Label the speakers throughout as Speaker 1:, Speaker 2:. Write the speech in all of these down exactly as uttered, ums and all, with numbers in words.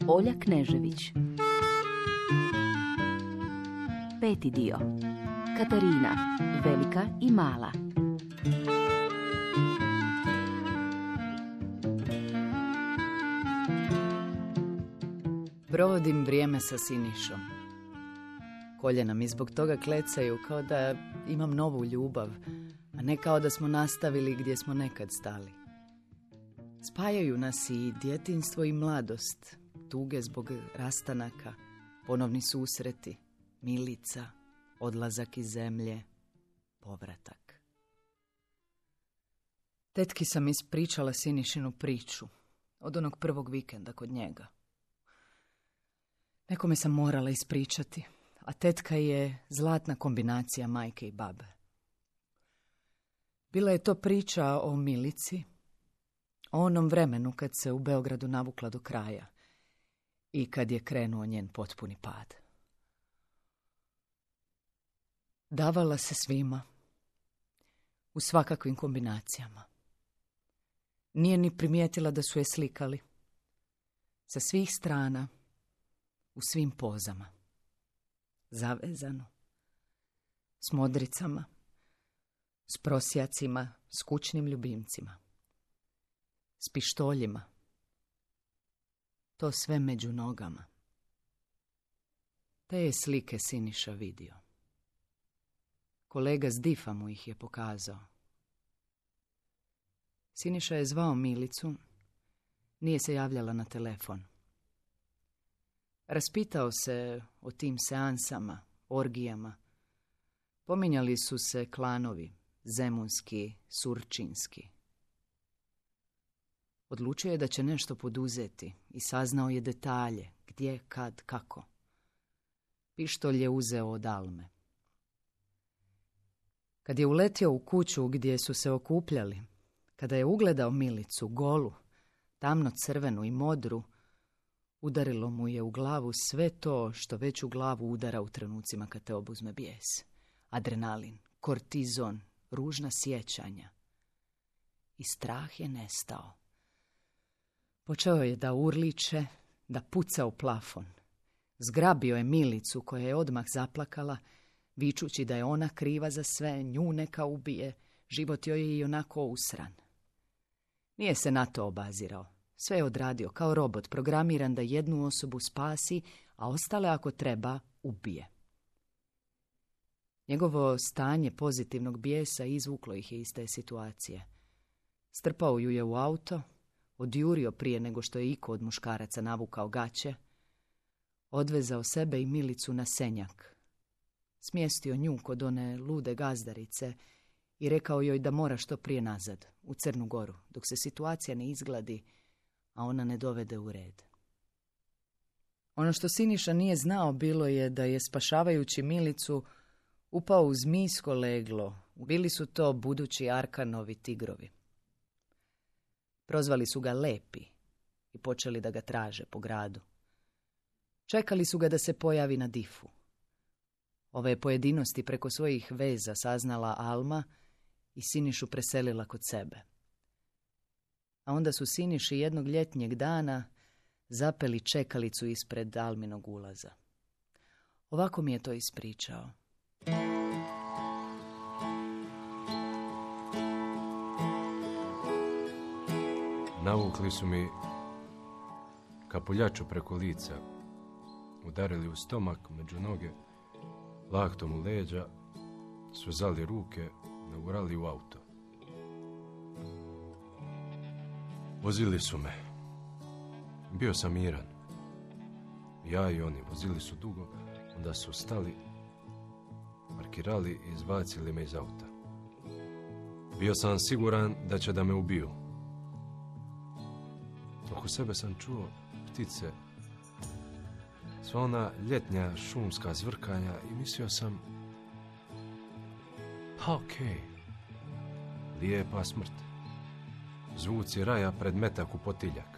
Speaker 1: Olja Knežević. Peti dio. Katarina, velika i mala.
Speaker 2: Provodim vrijeme sa Sinišom. Koljena mi zbog toga klecaju kao da imam novu ljubav, a ne kao da smo nastavili gdje smo nekad stali. Spajaju nas i djetinjstvo i mladost, tuge zbog rastanaka, ponovni susreti, milica, odlazak iz zemlje, povratak. Tetki sam ispričala Sinišinu priču od onog prvog vikenda kod njega. Nekome sam morala ispričati, a tetka je zlatna kombinacija majke i babe. Bila je to priča o Milici, o onom vremenu kad se u Beogradu navukla do kraja i kad je krenuo njen potpuni pad. Davala se svima, u svakakvim kombinacijama. Nije ni primijetila da su je slikali. Sa svih strana, u svim pozama. Zavezano, s modricama, s prosjacima, s kućnim ljubimcima, s pištoljima. To sve među nogama. Te je slike Siniša vidio. Kolega s difa mu ih je pokazao. Siniša je zvao Milicu, nije se javljala na telefon. Raspitao se o tim seansama, orgijama. Pominjali su se klanovi, zemunski, surčinski. Odlučio je da će nešto poduzeti i saznao je detalje, gdje, kad, kako. Pištolj je uzeo od Alme. Kad je uletio u kuću gdje su se okupljali, kada je ugledao Milicu, golu, tamno crvenu i modru, udarilo mu je u glavu sve to što već u glavu udara u trenucima kad te obuzme bijes. Adrenalin, kortizon, ružna sjećanja. I strah je nestao. Počeo je da urliče, da puca u plafon. Zgrabio je Milicu koja je odmah zaplakala, vičući da je ona kriva za sve, nju neka ubije, život joj je i onako usran. Nije se na to obazirao. Sve je odradio kao robot, programiran da jednu osobu spasi, a ostale ako treba ubije. Njegovo stanje pozitivnog bijesa izvuklo ih je iz te situacije. Strpao ju je u auto, odjurio prije nego što je iko od muškaraca navukao gaće, odvezao sebe i Milicu na Senjak, smjestio nju kod one lude gazdarice i rekao joj da mora što prije nazad, u Crnu Goru, dok se situacija ne izgladi, a ona ne dovede u red. Ono što Siniša nije znao bilo je da je, spašavajući Milicu, upao u zmijsko leglo. Bili su to budući Arkanovi tigrovi. Prozvali su ga Lepi i počeli da ga traže po gradu. Čekali su ga da se pojavi na difu. Ove pojedinosti preko svojih veza saznala Alma i Sinišu preselila kod sebe. A onda su Siniši jednog ljetnjeg dana zapeli čekalicu ispred Alminog ulaza. Ovako mi je to ispričao.
Speaker 3: Navukli su mi kapuljaču preko lica, udarili u stomak, među noge, laktom u leđa, svezali ruke, nagurali u auto. Vozili su me. Bio sam miran. Ja i oni vozili su dugo, onda su stali, parkirali i izbacili me iz auta. Bio sam siguran da će da me ubiju. Oko sebe sam čuo ptice, sva ona ljetnja šumska zvrkanja i mislio sam, pa okej, okay, lijepa smrt. Zvuci raja pred metak u potiljak.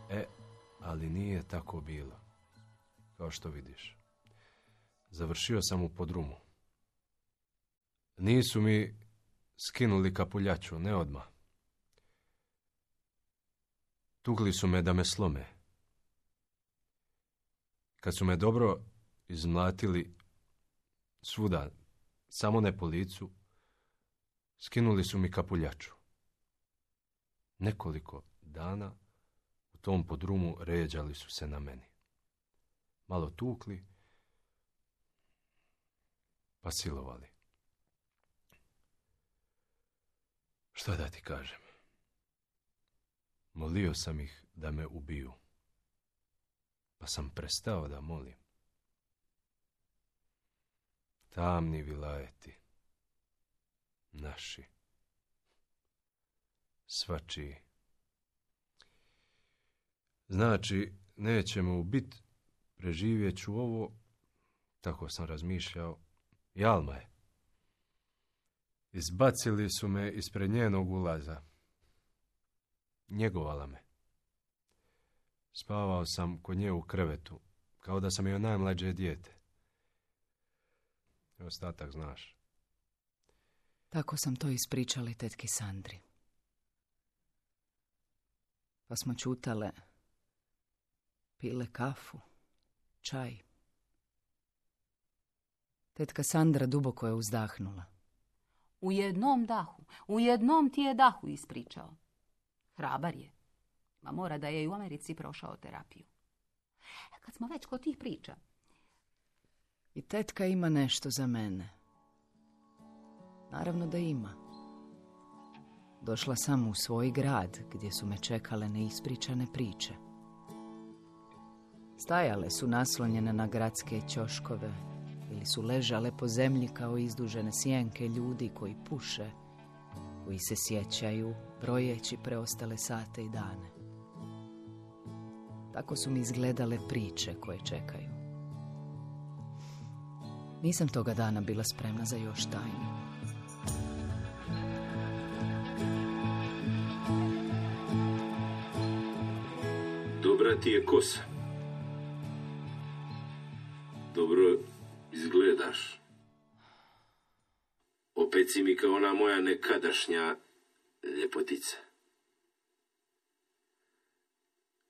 Speaker 3: E, ali nije tako bilo. Kao što vidiš. Završio sam u podrumu. Nisu mi skinuli kapuljaču, ne odmah. Tukli su me da me slome. Kad su me dobro izmlatili svuda, samo ne po licu, skinuli su mi kapuljaču. Nekoliko dana u tom podrumu ređali su se na meni. Malo tukli, pa silovali. Šta da ti kažem? Molio sam ih da me ubiju, pa sam prestao da molim. Tamni vilajeti, naši, svačiji. Znači, nećemo ubit, preživjet ću ovo, tako sam razmišljao, i Alma je. Izbacili su me ispred njenog ulaza. Njegovala me. Spavao sam kod nje u krevetu, kao da sam joj najmlađe dijete. I ostatak znaš.
Speaker 2: Tako sam to ispričali tetki Sandri. Pa smo čutale, pile kafu, čaj. Tetka Sandra duboko je uzdahnula.
Speaker 4: U jednom dahu, u jednom ti je dahu ispričao. Hrabar je. Ma mora da je i u Americi prošao terapiju. Kad smo već kod tih priča.
Speaker 2: I tetka ima nešto za mene. Naravno da ima. Došla sam u svoj grad gdje su me čekale neispričane priče. Stajale su naslonjene na gradske ćoškove ili su ležale po zemlji kao izdužene sjenke ljudi koji puše, koji se sjećaju, brojeći preostale sate i dane. Tako su mi izgledale priče koje čekaju. Nisam toga dana bila spremna za još tajnu.
Speaker 5: Dobra ti je kosa. Dobro izgledaš. Opet si mi kao ona moja nekadašnja ljepotica.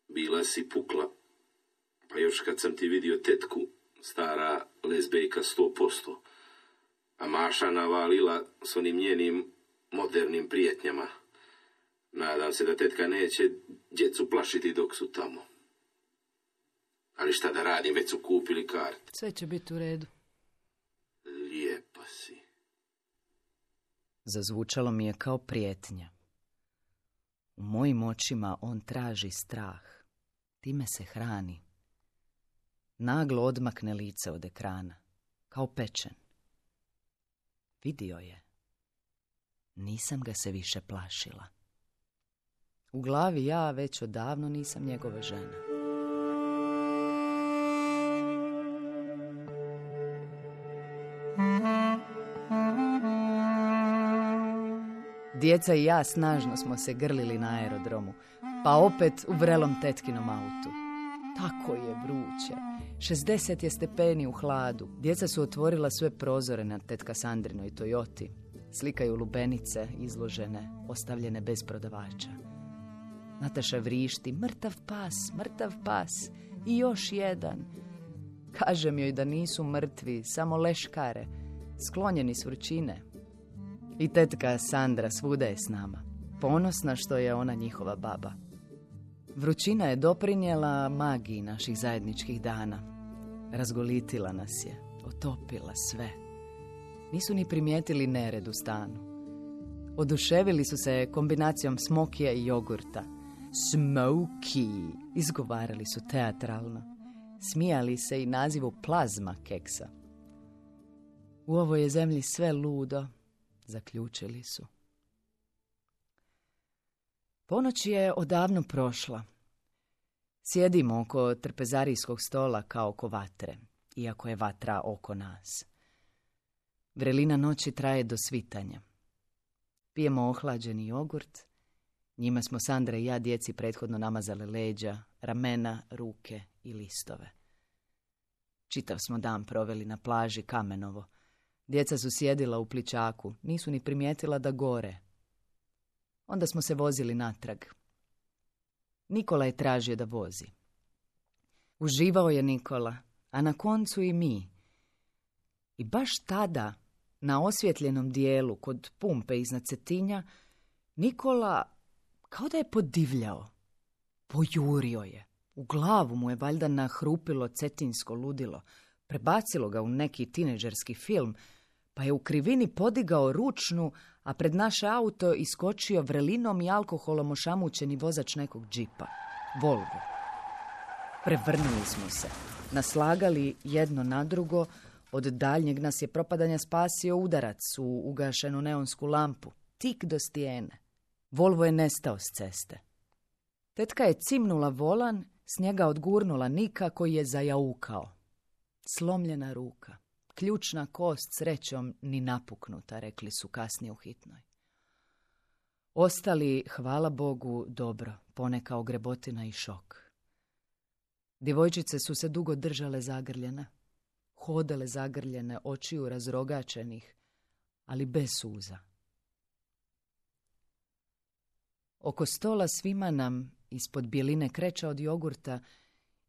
Speaker 5: Bila si pukla, pa još kad sam ti vidio tetku, stara lezbejka sto posto, a Maša navalila s onim njenim modernim prijetnjama. Nadam se da tetka neće djecu plašiti dok su tamo. Ali šta da radim, već su kupili karte.
Speaker 2: Sve će biti u redu.
Speaker 5: Lijepa si.
Speaker 2: Zazvučalo mi je kao prijetnja. U mojim očima on traži strah. Time se hrani. Naglo odmakne lice od ekrana, kao pečen. Vidio je. Nisam ga se više plašila. U glavi ja već odavno nisam njegova žena. Djeca i ja snažno smo se grlili na aerodromu, pa opet u vrelom tetkinom autu. Tako je vruće. šezdeset je stepeni u hladu. Djeca su otvorila sve prozore na tetka Sandrinoj Toyoti. Slikaju lubenice, izložene, ostavljene bez prodavača. Nataša vrišti, mrtav pas, mrtav pas i još jedan. Kažem joj da nisu mrtvi, samo leškare, sklonjeni s vrućine. I tetka Sandra svuda je s nama, ponosna što je ona njihova baba. Vrućina je doprinijela magiji naših zajedničkih dana. Razgolitila nas je, otopila sve. Nisu ni primijetili nered u stanu. Oduševili su se kombinacijom smokija i jogurta. Smoky, izgovarali su teatralno. Smijali se i nazivu plazma keksa. U ovoj je zemlji sve ludo, zaključili su. Ponoć je odavno prošla. Sjedimo oko trpezarijskog stola kao oko vatre, iako je vatra oko nas. Vrelina noći traje do svitanja. Pijemo ohlađeni jogurt. Njima smo Sandra i ja djeci prethodno namazale leđa, ramena, ruke i listove. Čitav smo dan proveli na plaži Kamenovo. Djeca su sjedila u pličaku, nisu ni primijetila da gore. Onda smo se vozili natrag. Nikola je tražio da vozi. Uživao je Nikola, a na koncu i mi. I baš tada, na osvjetljenom dijelu kod pumpe iznad Cetinja, Nikola kao da je podivljao. Pojurio je. U glavu mu je valjda nahrupilo cetinsko ludilo. Prebacilo ga u neki tineđerski film, pa je u krivini podigao ručnu, a pred naše auto iskočio vrelinom i alkoholom ošamućeni vozač nekog džipa. Volvo. Prevrnuli smo se. Naslagali jedno na drugo. Od daljnjeg nas je propadanja spasio udarac u ugašenu neonsku lampu. Tik do stijene. Volvo je nestao s ceste. Tetka je cimnula volan, s njega odgurnula Nika koji je zajaukao. Slomljena ruka. Ključna kost srećom ni napuknuta, rekli su kasnije u hitnoj. Ostali, hvala Bogu, dobro, poneka ogrebotina i šok. Djevojčice su se dugo držale zagrljene, hodale zagrljene, očiju razrogačenih, ali bez suza. Oko stola svima nam, ispod bjeline kreća od jogurta,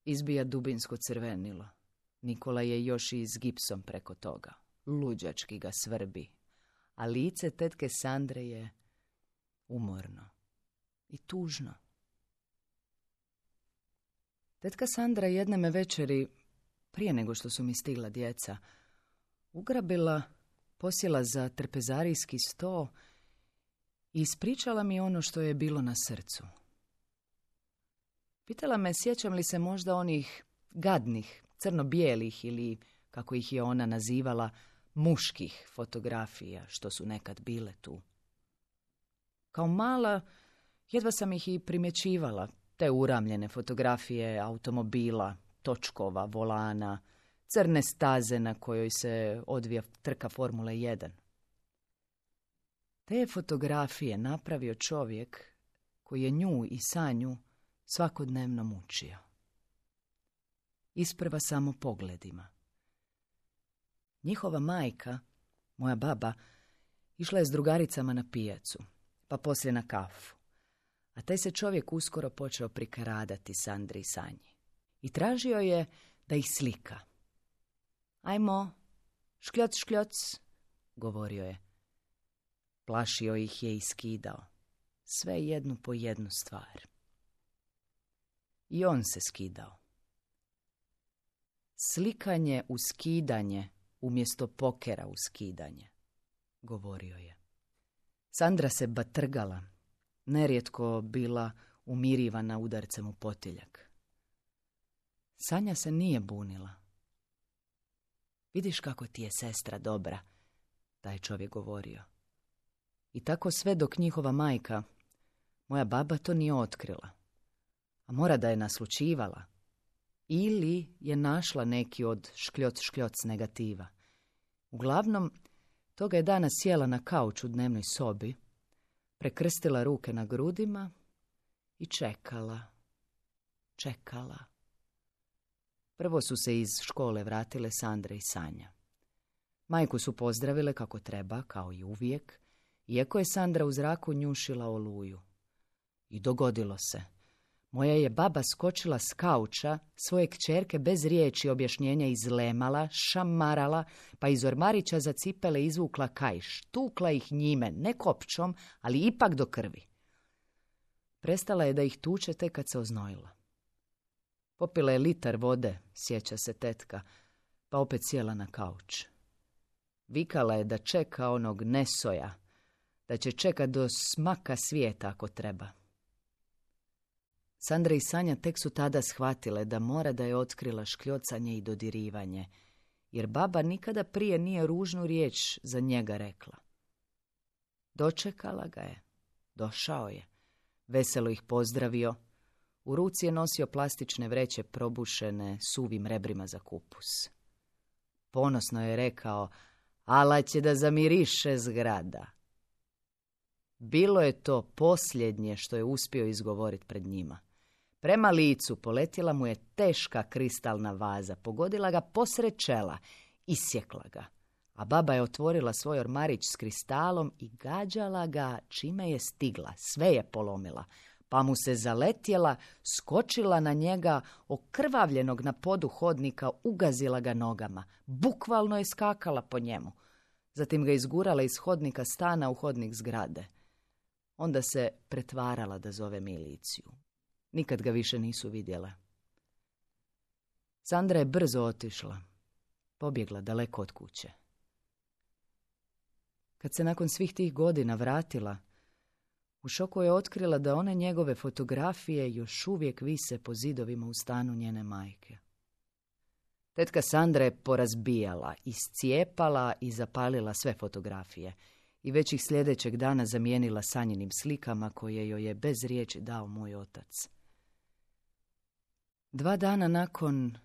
Speaker 2: izbija dubinsko crvenilo. Nikola je još i s gipsom preko toga. Luđački ga svrbi. A lice tetke Sandre je umorno i tužno. Tetka Sandra jedne me večeri, prije nego što su mi stigla djeca, ugrabila, posjela za trpezarijski sto i ispričala mi ono što je bilo na srcu. Pitala me sjećam li se možda onih gadnih, crno-bijelih ili, kako ih je ona nazivala, muških fotografija što su nekad bile tu. Kao mala, jedva sam ih i primjećivala, te uramljene fotografije automobila, točkova, volana, crne staze na kojoj se odvija trka Formule jedan. Te fotografije napravio čovjek koji je nju i Sanju svakodnevno mučio. Isprva samo pogledima. Njihova majka, moja baba, išla je s drugaricama na pijacu, pa poslije na kafu. A taj se čovjek uskoro počeo prikaradati Sandri i Sanji. I tražio je da ih slika. Ajmo, škljoc, škljoc, govorio je. Plašio ih je i skidao. Sve jednu po jednu stvar. I on se skidao. Slikanje u skidanje umjesto pokera u skidanje, govorio je. Sandra se batrgala, nerijetko bila umirivana udarcem u potiljak. Sanja se nije bunila. Vidiš kako ti je sestra dobra, taj čovjek govorio. I tako sve dok njihova majka, moja baba, to nije otkrila. A mora da je naslučivala. Ili je našla neki od škljoc škljoc negativa. Uglavnom, toga je danas sjela na kauč u dnevnoj sobi, prekrstila ruke na grudima i čekala, čekala. Prvo su se iz škole vratile Sandra i Sanja. Majku su pozdravile kako treba, kao i uvijek, iako je Sandra u zraku njušila oluju. I dogodilo se. Moja je baba skočila s kauča, svoje kćerke bez riječi objašnjenja izlemala, šamarala, pa iz ormarića za cipele izvukla kaiš, tukla ih njime, ne kopčom, ali ipak do krvi. Prestala je da ih tuče tek kad se oznojila. Popila je litar vode, sjeća se tetka, pa opet sjela na kauč. Vikala je da čeka onog nesoja, da će čekat do smaka svijeta ako treba. Sandra i Sanja tek su tada shvatile da mora da je otkrila škljocanje i dodirivanje, jer baba nikada prije nije ružnu riječ za njega rekla. Dočekala ga je, došao je, veselo ih pozdravio, u ruci je nosio plastične vreće probušene suvim rebrima za kupus. Ponosno je rekao, ala će da zamiriše zgrada. Bilo je to posljednje što je uspio izgovoriti pred njima. Prema licu poletjela mu je teška kristalna vaza, pogodila ga posred čela, isjekla ga. A baba je otvorila svoj ormarić s kristalom i gađala ga čime je stigla, sve je polomila, pa mu se zaletjela, skočila na njega, okrvavljenog na podu hodnika, ugazila ga nogama. Bukvalno je skakala po njemu. Zatim ga izgurala iz hodnika stana u hodnik zgrade. Onda se pretvarala da zove miliciju. Nikad ga više nisu vidjele. Sandra je brzo otišla. Pobjegla daleko od kuće. Kad se nakon svih tih godina vratila, u šoku je otkrila da one njegove fotografije još uvijek vise po zidovima u stanu njene majke. Tetka Sandra je porazbijala, iscijepala i zapalila sve fotografije i već ih sljedećeg dana zamijenila sanjenim slikama koje joj je bez riječi dao moj otac. Dva dana nakon,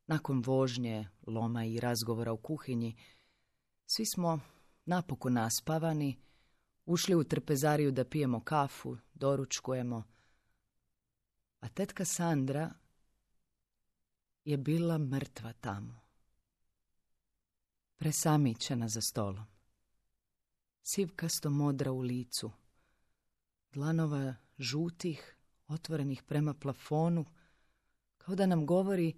Speaker 2: nakon vožnje, loma i razgovora u kuhinji, svi smo napokon naspavani, ušli u trpezariju da pijemo kafu, doručkujemo, a tetka Sandra je bila mrtva tamo. Presamićena za stolom. Sivkasto modra u licu. Dlanova žutih, otvorenih prema plafonu, kao da nam govori: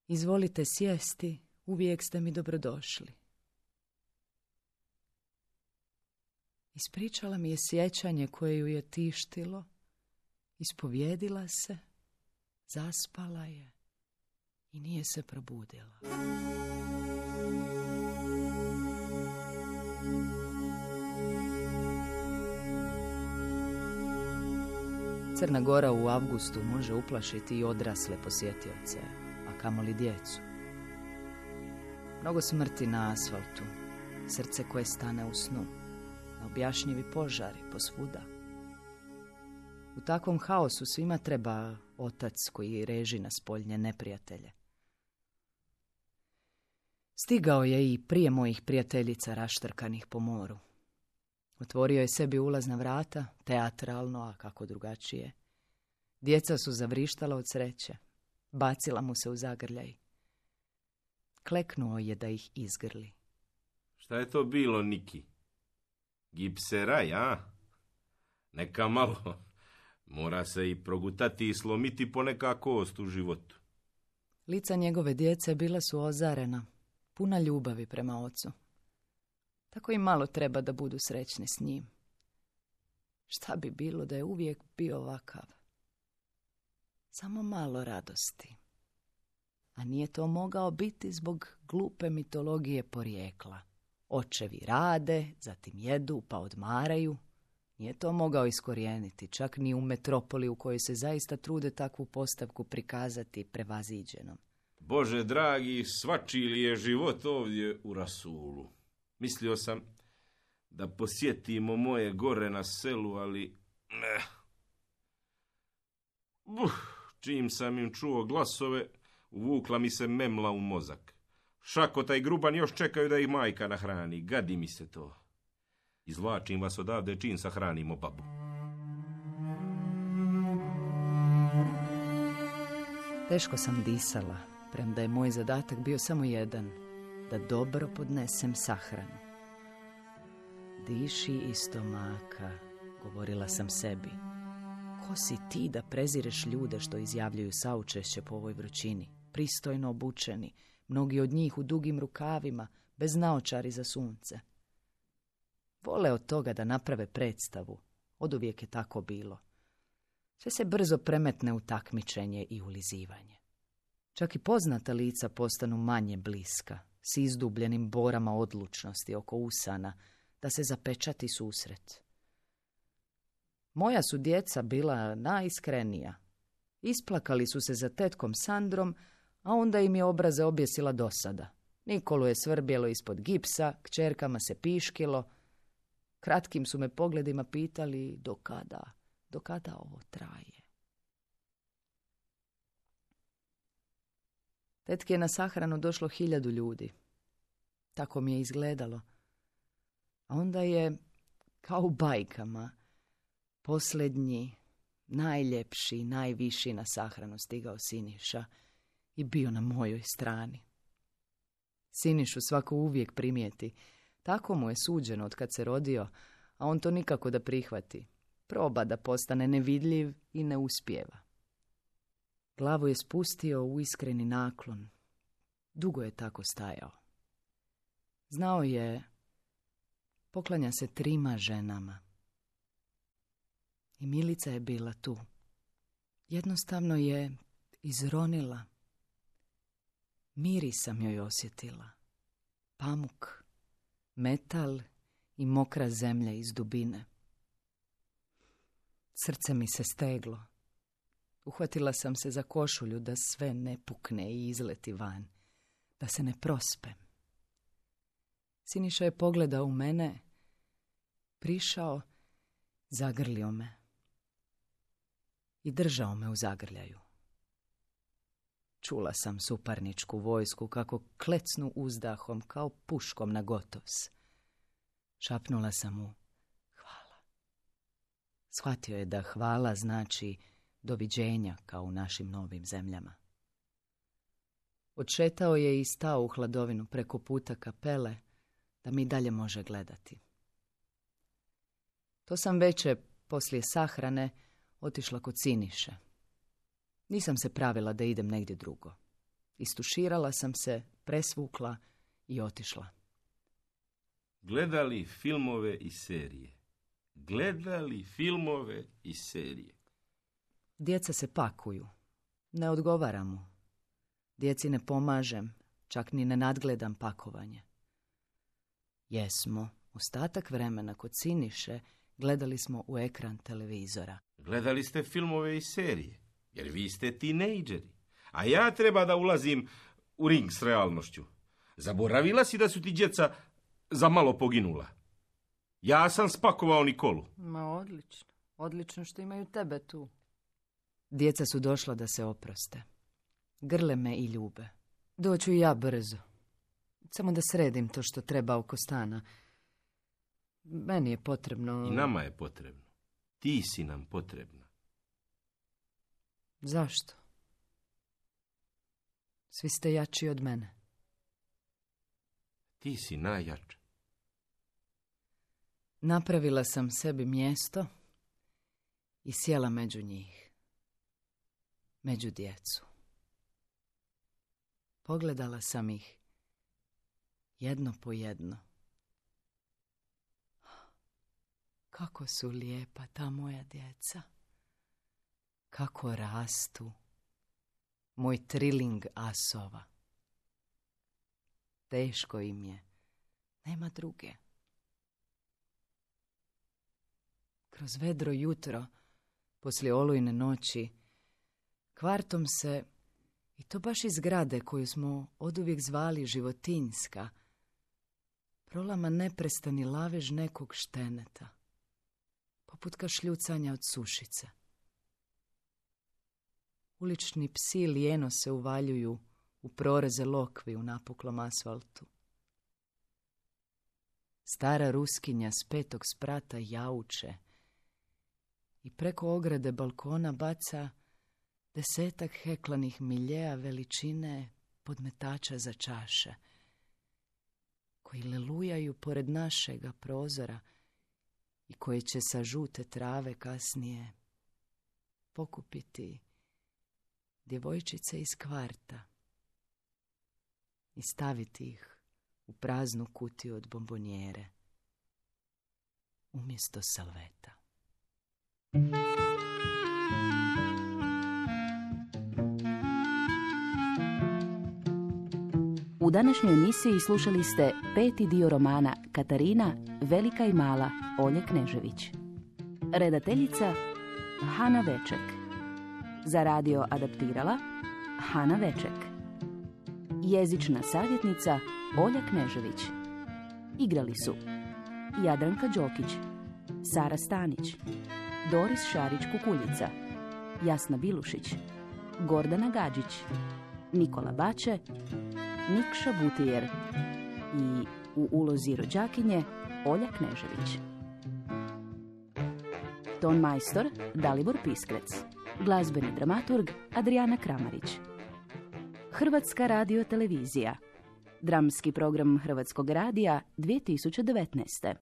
Speaker 2: izvolite sjesti, uvijek ste mi dobrodošli. Ispričala mi je sjećanje koje ju je tištilo, ispovjedila se, zaspala je i nije se probudila. Crna Gora u avgustu može uplašiti i odrasle posjetioce, a kamoli djecu. Mnogo smrti na asfaltu, srce koje stane u snu, neobjašnjivi požari posvuda. U takvom haosu svima treba otac koji reži na spoljnje neprijatelje. Stigao je i prije mojih prijateljica raštrkanih po moru. Otvorio je sebi ulazna vrata, teatralno, a kako drugačije. Djeca su zavrištala od sreće. Bacila mu se u zagrljaj. Kleknuo je da ih izgrli.
Speaker 5: Šta je to bilo, Niki? Gipseraj, a? Neka malo. Mora se i progutati i slomiti poneka kost u životu.
Speaker 2: Lica njegove djece bila su ozarena, puna ljubavi prema ocu. Tako i malo treba da budu srećni s njim. Šta bi bilo da je uvijek bio ovakav? Samo malo radosti. A nije to mogao biti zbog glupe mitologije porijekla. Očevi rade, zatim jedu, pa odmaraju. Nije to mogao iskorijeniti, čak ni u metropoli u kojoj se zaista trude takvu postavku prikazati prevaziđenom.
Speaker 5: Bože dragi, svačiji li je život ovdje u rasulu? Mislio sam da posjetimo moje gore na selu, ali ne. Uh, čim sam im čuo glasove, uvukla mi se memla u mozak. Šakota i Gruban još čekaju da ih majka nahrani. Gadi mi se to. Izvlačim vas odavde čim sahranimo babu.
Speaker 2: Teško sam disala, premda je moj zadatak bio samo jedan, da dobro podnesem sahranu. Diši iz stomaka, govorila sam sebi. Ko si ti da prezireš ljude što izjavljuju saučešće po ovoj vrućini, pristojno obučeni, mnogi od njih u dugim rukavima, bez naočari za sunce. Vole od toga da naprave predstavu, oduvijek je tako bilo. Sve se brzo premetne u takmičenje i ulizivanje. Čak i poznata lica postanu manje bliska, s izdubljenim borama odlučnosti oko usana, da se zapečati susret. Moja su djeca bila najiskrenija. Isplakali su se za tetkom Sandrom, a onda im je obraze objesila dosada. Nikolu je svrbjelo ispod gipsa, kćerkama se piškilo. Kratkim su me pogledima pitali do kada, do kada ovo traje. Tetki je na sahranu došlo hiljadu ljudi. Tako mi je izgledalo. A onda je, kao u bajkama, posljednji, najljepši, najviši na sahranu stigao Siniša i bio na mojoj strani. Sinišu svako uvijek primijeti. Tako mu je suđeno od kad se rodio, a on to nikako da prihvati. Proba da postane nevidljiv i ne uspijeva. Glavu je spustio u iskreni naklon. Dugo je tako stajao. Znao je, poklanja se trima ženama. I Milica je bila tu. Jednostavno je izronila. Miris sam joj osjetila. Pamuk, metal i mokra zemlja iz dubine. Srce mi se steglo. Uhvatila sam se za košulju da sve ne pukne i izleti van. Da se ne prospem. Siniša je pogledao u mene, prišao, zagrlio me i držao me u zagrljaju. Čula sam suparničku vojsku kako klecnu uzdahom kao puškom na gotos. Šapnula sam mu hvala. Shvatio je da hvala znači doviđenja kao u našim novim zemljama. Odšetao je i stao u hladovinu preko puta kapele da mi dalje može gledati. To sam veče, poslije sahrane, otišla kod Siniše. Nisam se pravila da idem negdje drugo. Istuširala sam se, presvukla i otišla.
Speaker 5: Gledali filmove i serije. Gledali filmove i serije.
Speaker 2: Djeca se pakuju. Ne odgovaram mu. Djeci ne pomažem, čak ni ne nadgledam pakovanje. Jesmo, ostatak vremena kod Siniše gledali smo u ekran televizora.
Speaker 5: Gledali ste filmove i serije, jer vi ste tinejdžeri. A ja treba da ulazim u ring s realnošću. Zaboravila si da su ti djeca za malo poginula. Ja sam spakovao Nikolu.
Speaker 2: Ma odlično, odlično što imaju tebe tu. Djeca su došla da se oproste. Grle me i ljube. Doću i ja brzo. Samo da sredim to što treba oko stana. Meni je potrebno...
Speaker 5: I nama je potrebno. Ti si nam potrebna.
Speaker 2: Zašto? Svi ste jači od mene.
Speaker 5: Ti si najjača.
Speaker 2: Napravila sam sebi mjesto i sjela među njih. Među djecu. Pogledala sam ih jedno po jedno. Kako su lijepa ta moja djeca. Kako rastu. Moj triling asova. Teško im je. Nema druge. Kroz vedro jutro, poslije olujne noći, kvartom se, i to baš iz zgrade koju smo oduvijek zvali Životinjska, prolama neprestani lavež nekog šteneta, poput kašljucanja od sušice. Ulični psi lijeno se uvaljuju u proreze lokvi u napuklom asfaltu. Stara ruskinja s petog sprata jauče i preko ograde balkona baca desetak heklanih miljeja veličine podmetača za čaše, koji lelujaju pored našega prozora i koji će sa žute trave kasnije pokupiti djevojčice iz kvarta i staviti ih u praznu kutiju od bombonjere umjesto salveta.
Speaker 1: U današnjoj emisiji slušali ste peti dio romana Katarina, Velika i mala Olje Knežević. Redateljica Hana Veček. Za radio adaptirala Hana Veček. Jezična savjetnica Olja Knežević. Igrali su Jadranka Đokić, Sara Stanić, Doris Šarić-Kukuljica, Jasna Bilušić, Gordana Gađić, Nikola Bače, Nikša Butijer i u ulozi rođakinje Olja Knežević. Ton majstor Dalibor Piskrec. Glazbeni dramaturg Adrijana Kramarić. Hrvatska radiotelevizija. Dramski program Hrvatskog radija dvije tisuće devetnaeste.